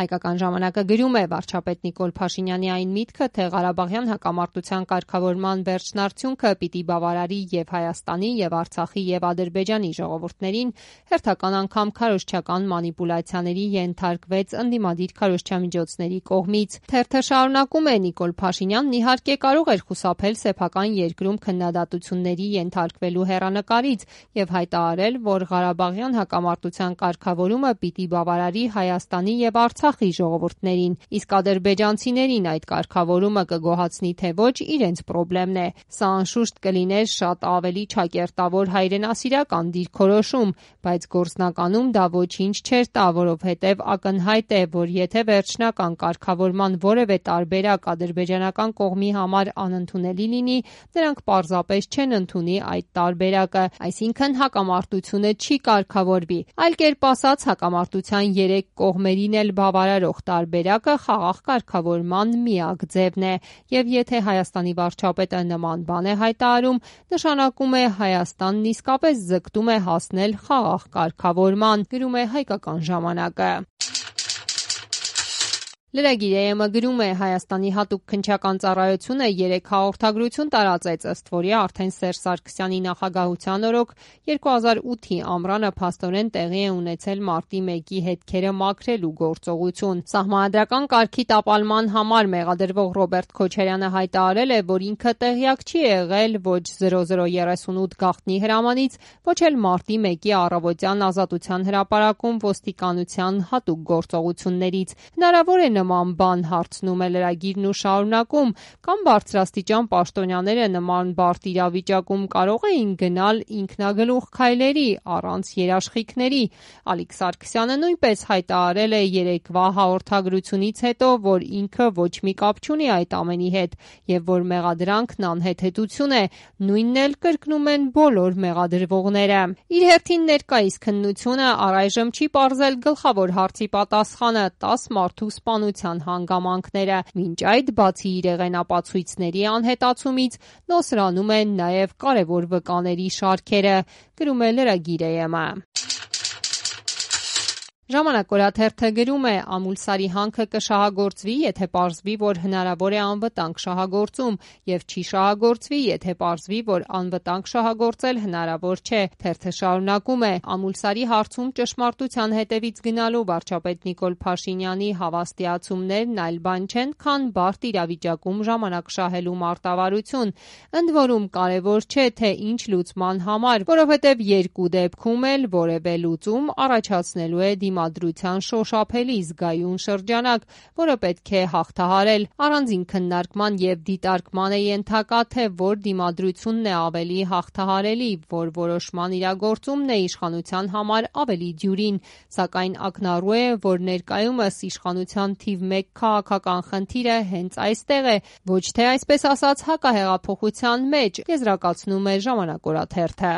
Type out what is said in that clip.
Հայկական ժամանակը գրում է. վարչապետ Նիկոլ Փաշինյանի այն միտքը, թե Ղարաբաղյան հակամարտության կարգավորման վերջնարդյունքը պիտի բավարարի եւ Հայաստանի, եւ Արցախի, եւ Ադրբեջանի ժողովուրդներին, հերթական անգամ քարոզչական մանիպուլյացիաների ենթարկվեց ընդդիմադիր քարոզչամիջոցների կողմից։ Թերթը շարունակում է. Նիկոլ Փաշինյանն իհարկե կարող էր խուսափել սեփական երկրում քննադատությունների ենթարկվելու հեռանկարից եւ հայտարարել, որ Ղարաբաղյան հակամարտության կարգավորումը պիտի բավարարի Հայաստանի եւ Արցախի ժողովուրդներին, իսկ ադրբեջանցիներին այդ կարգավորումը կգոհացնի թե ոչ, իրենց պրոբլեմն է։ Սա անշուշտ կլիներ շատ ավելի ճակերտավոր հայրենասիրական դիրքորոշում, բայց գործնականում դա ոչինչ չէր տա, որովհետեւ ակնհայտ է, որ եթե վերջնական կարգավորման որևէ տարբերակ ադրբեջանական կողմի համար անընդունելի լինի, նրանք պարզապես չեն ընդունի այդ տարբերակը, այսինքն հակամարտությունը չի կարգավորվի։ Այլ կերպ ասած, հակամարտության երեք կողմերին էլ բավարարող տարբերակը խաղաղ կարգավորման միակ ձևն է, եւ եթե Հայաստանի վարչապետը նման բան է հայտարարում, նշանակում է Հայաստանն իսկապես ձգտում է հասնել խաղաղ կարգավորման, գրում է Հայկական ժամանակը։ Լրագիր ԵՄ գրում է. Հայաստանի հատուկ քննչական ծառայությունը 3 հաղորդագրություն տարածեց, ըստ որի արդեն Սերժ Սարգսյանի նախագահության օրոք 2008-ի ամռանը փաստորեն տեղի է ունեցել մարտի 1-ի հետքերը մաքրելու գործողություն։ Սահմանադրական կարգի տապալման համար մեղադրվող Ռոբերտ Քոչարյանը հայտարարել է, որ ինքը տեղյակ չի եղել ոչ 0038 գաղտնի հրամանից, ոչ էլ մարտի 1-ի առավոտյան Ազատության հրապարակում ոստիկանության հատուկ գործողություններից։ Հնարավոր է նման բան, հարցնում է լրագիրն ու շարունակում, կամ բարձրաստիճան պաշտոնյաները նման բարդ իրավիճակում կարող էին գնալ ինքնագլուխ քայլերի առանց երաշխիքների։ Ալիկ Սարգսյանը նույնպես հայտարարել է երեկվա հաղորդագրությունից հետո, որ ինքը ոչ մի կապ չունի այդ ամենի հետ եւ որ մեղադրանքն անհեթեթություն է, նույնն էլ կրկնում են բոլոր մեղադրվողները։ Իր հերթին ներկայիս քննությունը առայժմ չի պարզել գլխավոր հարցի պատասխանը՝ 10 մարդու սպանության հանգամանքները։ Մինչ այդ, բացի իրեղենապացույցների անհետացումից, նոսրանում են նաև կարևոր վկաների շարքերը, գրում է լրագիր ԵՄ։ Ժամանակ օրաթերթը գրում է. Ամուլսարի հանքը կշահագործվի, եթե պարզվի, որ հնարավոր է անվտանգ շահագործում, եւ չի շահագործվի, եթե պարզվի, որ անվտանգ շահագործել հնարավոր չէ։ Թերթը շարունակում է. Ամուլսարի հարցում ճշմարտության հետևից գնալու վարչապետ Նիկոլ Փաշինյանի հավաստիացումներն այլ բան չեն, քան բարդ իրավիճակում ժամանակ շահելու մարտավարություն։ Ընդ որում կարևոր չէ, թե ինչ լուծման համար, որովհետեւ երկու դեպքում էլ որևէ լուծում առաջացնելու է դիմադրության շոշափելի զգայուն շրջանակ, որը պետք է հաղթահարել։ Առանձին քննարկման եւ դիտարկման է ենթակա, թե որ դիմադրությունն է ավելի հաղթահարելի, որ որոշման իրագործումն է իշխանության համար ավելի դյուրին, սակայն ակնառու է, որ ներկայումս իշխանության թիվ 1 քաղաքական խնդիրը հենց այստեղ է, ոչ թե այսպես ասած հակահեղափոխության մեջ, եզրակացնում է Ժամանակ օրաթերթը։